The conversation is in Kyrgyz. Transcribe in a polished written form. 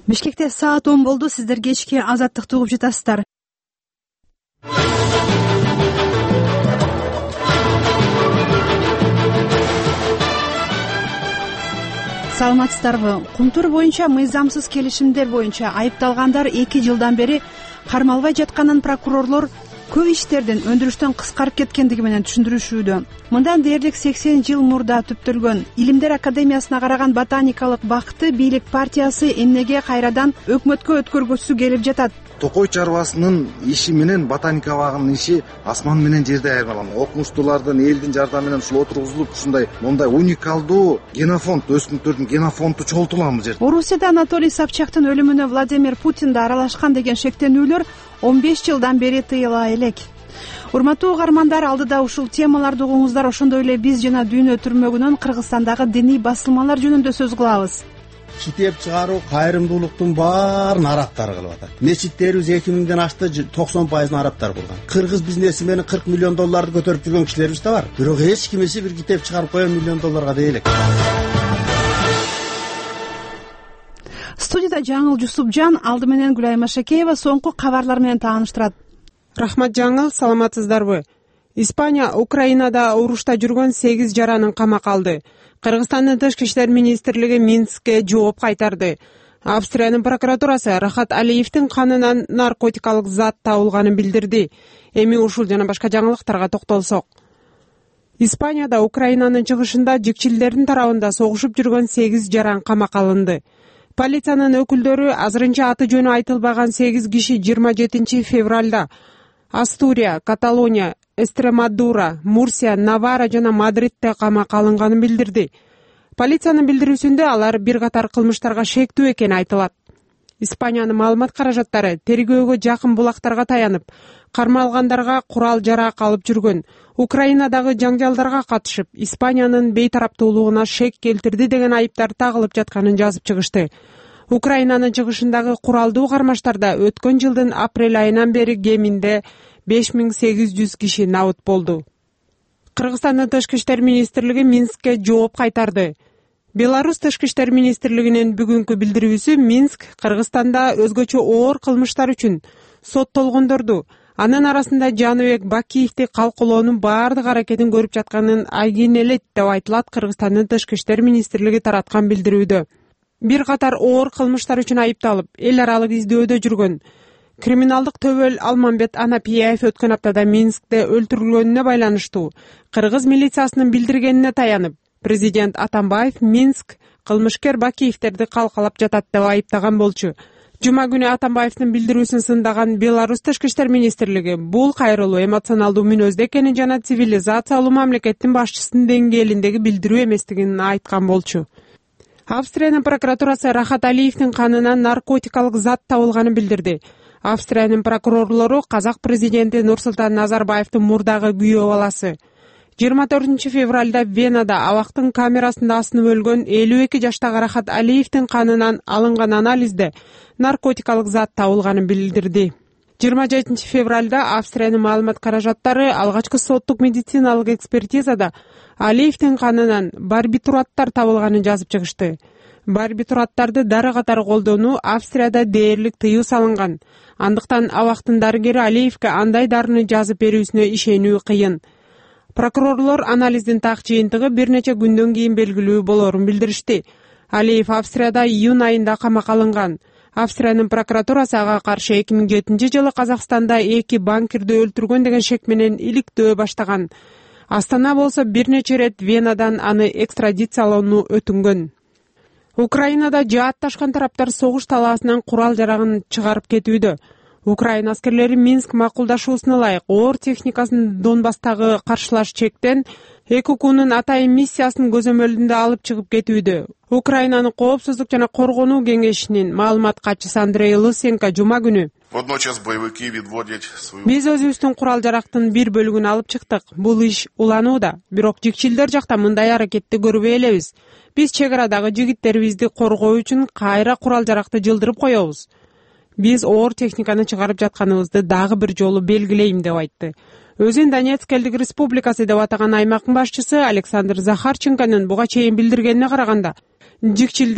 Бишкекте саат 10 болду. Сиздер кечки Азаттыкты угуп жатасыздар. Саламатсыздарбы? Кумтур боюнча мыйзамсыз келишимдер боюнча айыпталгандар 2 жылдан бери кармалбай жатканын прокурорлор көп иштердин өндүрүштөн кыскарып кеткендиги менен түшүндүрүшүүдө. Мындан дээрлик 80 жыл мурда түптөлгөн Илимдер академиясына караган ботаникалык бакты бийлик партиясы эмнеге кайрадан өкмөткө өткөргүсү келип жатат? Токой чарбасынын иши менен ботаника багынын иши асман менен жерди айырмаланган. Окумуштуулардын элдин жардамы менен ушул отургузулуп ушундай мондай уникалдуу генофонд, өсүмдүктөрдүн генофонду чогултулган бул жерде. Орусияда Анатолий Собчактын өлүмүнө Владимир Путин да аралашкан деген шектенүүлөр 15 жылдан бери тыйыла элек. Урматтуу угармандар, алдыда ушул темаларды угуңуздар. Ошондой эле биз жана дүйнө түрмөгүнөн Кыргызстандагы диний басылмалар жөнүндө сөз кылабыз. Китеп чыгаруу кайрымдуулуктун баарын арабтар кылып атат. Мечиттерибиз 2000ден ашты, 90% арабтар курган. Кыргыз бизнесмени 40 миллион долларды көтөрүп жүргөн кишилерибиз да бар. Бирок эч кимиси бир китеп чыгарып коем миллион долларга дей элек. Студияда Жаңыл Жусупжан, алды менен Гүлай Машакеева соңку кабарлар менен тааныштырат. Рахмат Жаңыл, саламатсыздарбы? Испания Украинада урушта жүргөн 8 жаранын камакка алды. Кыргызстандын тышкы иштер министрлиги Минскке жооп кайтарды. Австриянын прокуратурасы Рахат Алиевдин канынан наркотикалык зат табылганын билдирди. Эми ушул жана башка жаңылыктарга токтолсок. Испанияда Украинанын чыгышында жикчилдердин тарабында согушуп жүргөн 8 жаран камакка алынды. Полициянын өкүлдөрү азырынча аты жөнү айтылбаган 8 киши 27 февралда Астурия, Каталония, Эстремадура, Мурсия, Навара жана Мадридте камакка алынганын билдирди. Полициянын билдирүүсүндө алар бир катар кылмыштарга шектүү экени айтылат. Испаниянын маалымат каражаттары тергөөгө жакын булактарга таянып, кармалгандарга курал жарак алып жүргөн, Украинадагы жаңжалдарга катышып, Испаниянын бейтараптуулугуна шек келтирди деген айыптар тагылып жатканын жазып чыгышты. Украинанын чыгышындагы куралдуу кармаштарда өткөн жылдын апрель айынан бери кеминде 5800 киши набыт болду. Кыргызстандын тышкы иштер министрлиги Минскке жооп кайтарды. Беларусь тышкы иштер министрлигинин бүгүнкү билдирүүсү Минск Кыргызстанда өзгөчө оор кылмыштар үчүн соттолгондорду, анын арасында Жаныбек Бакиевди калкулоонун баардык аракетин көрүп жатканын айгинелейт деп айтылат Кыргызстандын тышкы иштер министрлиги тараткан билдирүүдө. Бир катар оор кылмыштар үчүн айыпталып, эл аралык издөөдө жүргөн криминалдык төбөл Алмамбет Анапияев өткөн аптада Минскте өлтүрүлгөнүнө байланыштуу кыргыз милициясынын билдиргенине таянып, президент Атамбаев Минск кылмышкер Бакиевтерди калкалап жатат деп айыптаган болчу. Жума күнү Атамбаевдин билдирүүсүн сындаган Беларусь тышкы иштер министрлиги бул кайрылуу эмоционалдуу мүнөздө экенин жана цивилизациялуу мамлекеттин башчысынын деңгээлиндеги билдирүү эместигин айткан болчу. Австриянын прокуратурасы Рахат Алиевдин канынан наркотикалык зат табылганын билдирди. Австриянын прокурорлору казак президенти Нурсултан Назарбаевдин мурдагы күйөө баласы 24 февралда Венада абактын камерасында асынып өлгөн 52 жаштагы Рахат Алиевдин канынан алынган анализде наркотикалык зат табылганын билдирди. 27 февралда Австриянын маалымат каражаттары алгачкы соттук медициналык экспертизада Алиевдин канынан барбитураттар табылганын жазып чыгышты. Барбитураттарды дары катары колдонуу Австрияда дээрлик тыюу салынган. Андыктан абактын дарыгери Алиевге андай дарыны жазып берүүсүнө ишенүү кыйын. Прокурорлор анализдин так жыйынтыгы бир нече күндөн кийин белгилүү болорун билдиришти. Алиев Австрияда июнь айында камакка алынган. Австриянын прокуратурасы ага каршы 2007 жылы Казакстанда 2 банкирди өлтүргөн деген шек менен иликтөө баштаган. Астана болсо бир нече рет Венадан аны экстрадициялоону өтүнгөн. Украинада жаатташкан тараптар согуш талаасынан курал жарагын чыгарып кетүүдө. Украина аскерлери Минск макулдашуусуна ылайык оор техникасын Донбасстагы каршылаш чектен ЭКУ-нун атайын миссиясын көзөмөлүндө алып чыгып кетүүдө. Украинанын коопсуздук жана коргонуу кеңешинин маалымат катчысы Андрей Лысенко жума күнү биз өзүбүздүн курал жарактын бир бөлүгүн алып чыктык. Бул иш уланууда. Бирок жикчилдер жакта мындай аракетти көрбөй элебиз. Биз чек арадагы жигиттерибизди коргоо үчүн кайра курал жаракты жылдырып коебуз. Биз оор техниканы чыгарып жатканыбызды дагы бир жолу белгилейм деп айтты. Өзүн Донецк элдик республикасы деп атаган аймактын башчысы Александр Захарченконун буга чейин билдиргенине караганда, жикчилдер